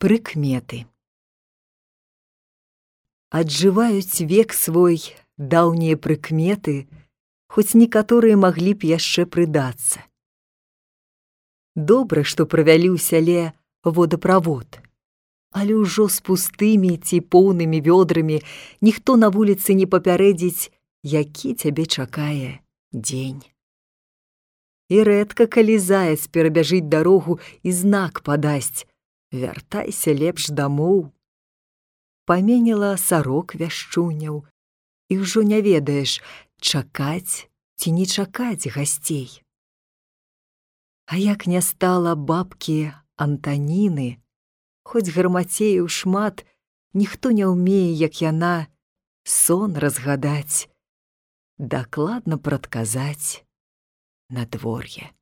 Прыкметы. Аджываюць век свой даўнія прыкметы, хоць некаторыя маглі б яшчэ прыдацца. Добра, што правялі ў сяле водаправод, але ўжо з пустымі ці поўнымі вёдрамі ніхто на вуліцы не папярэдзіць, які цябе чакае дзень. І рэдка калі заяц перабяжыць дарогу і знак падасць: «Вяртайся лепш дамоў». Паменіла сарок вяшчуняў, і ўжо не ведаеш, чакаць ці не чакаць гасцей. А як не стала бабкі Антаніны, хоць гармацеяў шмат, ніхто не ўмее, як яна, сон разгадаць, дакладна прадказаць надвор'е.